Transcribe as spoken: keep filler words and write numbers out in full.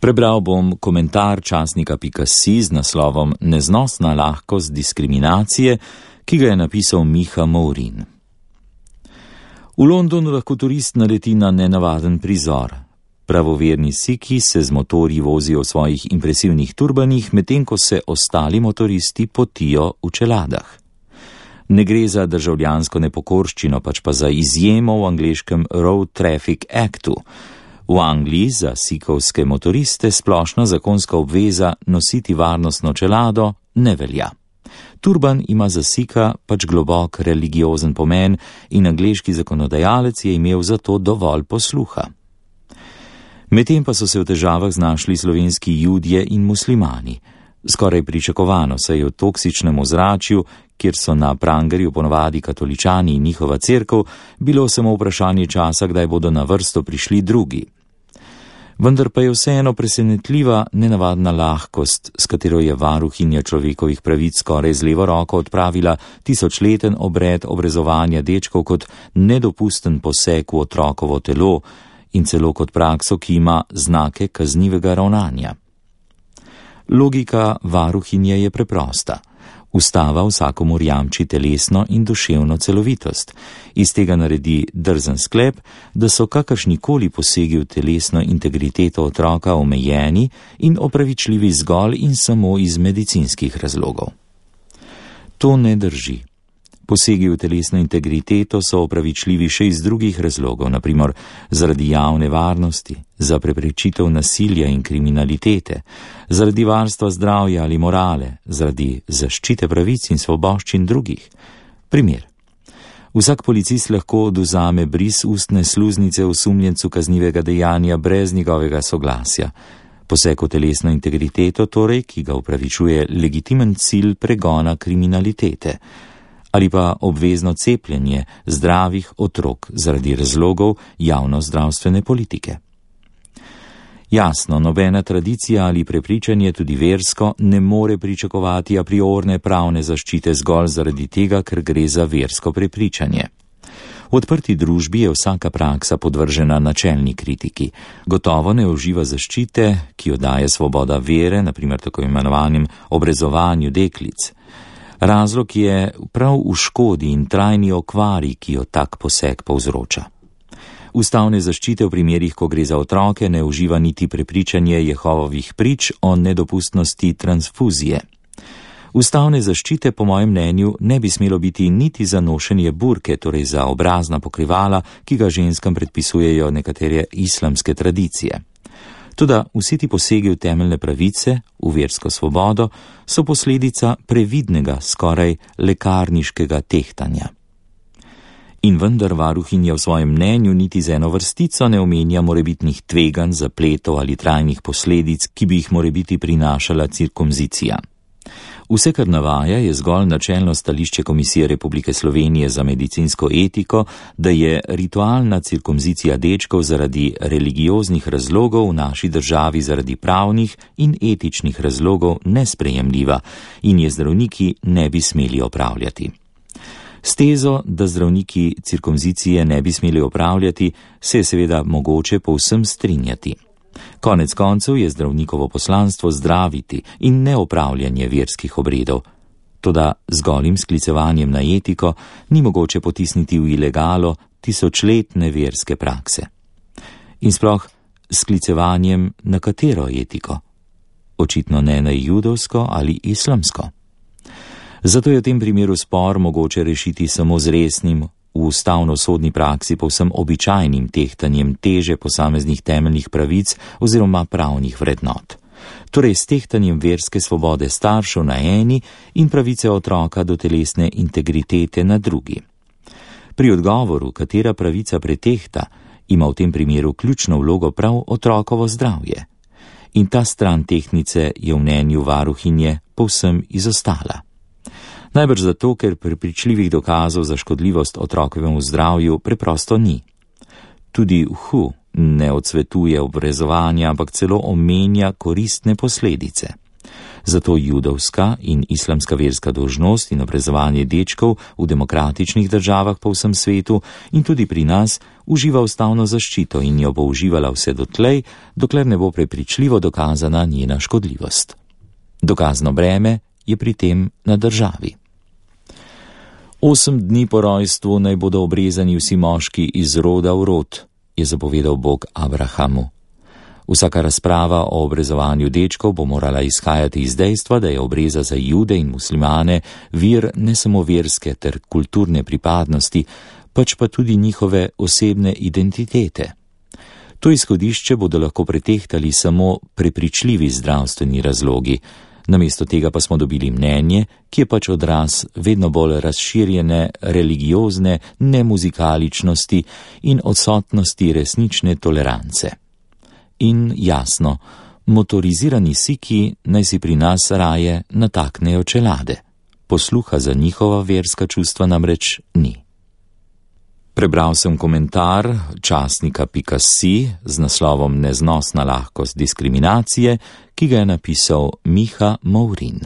Prebral bom komentar časnika pika si z naslovom Neznosna lahkost diskriminacije, ki ga je napisal Miha Mourin. V Londonu lahko turist naleti na nenavaden prizor. Pravoverni Sikhi se z motorji vozijo v svojih impresivnih turbanih, medtem ko se ostali motoristi potijo v čeladah. Ne gre za državljansko nepokorščino, pač pa za izjemo v angleškem Road Traffic Actu. V Angliji za sikovske motoriste splošna zakonska obveza nositi varnostno čelado ne velja. Turban ima za Sikha pač globok religiozen pomen in angleški zakonodajalec je imel za to dovolj posluha. Medtem pa so se v težavah znašli slovenski Judje in muslimani. Skoraj pričakovano se je v toksičnem ozračju, kjer so na prangerju ponovadi katoličani in njihova cerkev, bilo samo vprašanje časa, kdaj bodo na vrsto prišli drugi. Vendar pa je vseeno presenetljiva nenavadna lahkost, s katero je varuhinja človekovih pravic skoraj z levo roko odpravila tisočleten obred obrezovanja dečkov kot nedopusten poseg v otrokovo telo in celo kot prakso, ki ima znake kaznivega ravnanja. Logika varuhinje je preprosta. Ustava vsakomur jamči telesno in duševno celovitost. Iz tega naredi drzen sklep, da so kakršnikoli posegi v telesno integriteto otroka omejeni in opravičljivi zgolj in samo iz medicinskih razlogov. To ne drži. Posegi v telesno integriteto so opravičljivi še iz drugih razlogov, na primer zaradi javne varnosti, za preprečitev nasilja in kriminalitete, zaradi varstva zdravja ali morale, zaradi zaščite pravic in svoboščin drugih. Primer. Vsak policist lahko odvzame bris ustne sluznice osumljencu kaznivega dejanja brez njegovega soglasja. Poseg v telesno integriteto torej, ki ga upravičuje legitimen cilj pregona kriminalitete. Ali pa obvezno cepljenje zdravih otrok zaradi razlogov javnozdravstvene politike. Jasno, nobena tradicija ali prepričanje, tudi versko, ne more pričakovati a priorne pravne zaščite zgolj zaradi tega, ker gre za versko prepričanje. V odprti družbi je vsaka praksa podvržena načelni kritiki. Gotovo ne uživa zaščite, ki jo daje svoboda vere, na primer tako imenovanim obrezovanju deklic. Razlog je prav v škodi in trajni okvari, ki jo tak poseg povzroča. Ustavne zaščite v primerih, ko gre za otroke, ne uživa niti prepričanje Jehovovih prič o nedopustnosti transfuzije. Ustavne zaščite, po mojem mnenju, ne bi smelo biti niti za nošenje burke, torej za obrazna pokrivala, ki ga ženskam predpisujejo nekatere islamske tradicije. Toda vsi ti posegi v temeljne pravice, v versko svobodo, so posledica previdnega, skoraj lekarniškega tehtanja. In vendar varuhinja v svojem mnenju niti z eno vrstico ne omenja morebitnih tveganj, zapletov ali trajnih posledic, ki bi jih morebiti prinašala cirkumzicija. Vse, kar navaja, je zgolj načelno stališče Komisije Republike Slovenije za medicinsko etiko, da je ritualna cirkumzicija dečkov zaradi religioznih razlogov v naši državi zaradi pravnih in etičnih razlogov nesprejemljiva in je zdravniki ne bi smeli opravljati. S tezo, da zdravniki cirkumzicije ne bi smeli opravljati, se je seveda mogoče povsem strinjati. Konec koncev je zdravnikovo poslanstvo zdraviti in ne opravljanje verskih obredov. Toda z golim sklicevanjem na etiko ni mogoče potisniti v ilegalo tisočletne verske prakse. In sploh sklicevanjem na katero etiko? Očitno ne na judovsko ali islamsko. Zato je v tem primeru spor mogoče rešiti samo z resnim, v ustavno-sodni praksi povsem običajnim tehtanjem teže posameznih temeljnih pravic oziroma pravnih vrednot. Torej s tehtanjem verske svobode staršev na eni in pravice otroka do telesne integritete na drugi. Pri odgovoru, katera pravica pretehta, ima v tem primeru ključno vlogo prav otrokovo zdravje. In ta stran tehnice je v mnenju varuhinje povsem izostala. Najbrž zato, ker prepričljivih dokazov za škodljivost otrokovemu zdravju preprosto ni. Tudi V H U ne odsvetuje obrezovanja, ampak celo omenja koristne posledice. Zato judovska in islamska verska dolžnost in obrezovanje dečkov v demokratičnih državah po vsem svetu in tudi pri nas uživa ustavno zaščito in jo bo uživala vse dotlej, dokler ne bo prepričljivo dokazana njena škodljivost. Dokazno breme je pri tem na državi. Osem dni po rojstvu naj bodo obrezani vsi moški iz roda v rod, je zapovedal Bog Abrahamu. Vsaka razprava o obrezovanju dečkov bo morala izhajati iz dejstva, da je obreza za Jude in muslimane vir ne samo verske ter kulturne pripadnosti, pač pa tudi njihove osebne identitete. To izhodišče bodo lahko pretehtali samo prepričljivi zdravstveni razlogi, namesto tega pa smo dobili mnenje, ki je pač odraz vedno bolj razširjene religiozne nemuzikaličnosti in odsotnosti resnične tolerance. In jasno, motorizirani siki naj si pri nas raje nataknejo čelade. Posluha za njihova verska čustva namreč ni. Prebral sem komentar časnika pika si z naslovom Neznosna lahkost diskriminacije, ki ga je napisal Miha Mourin.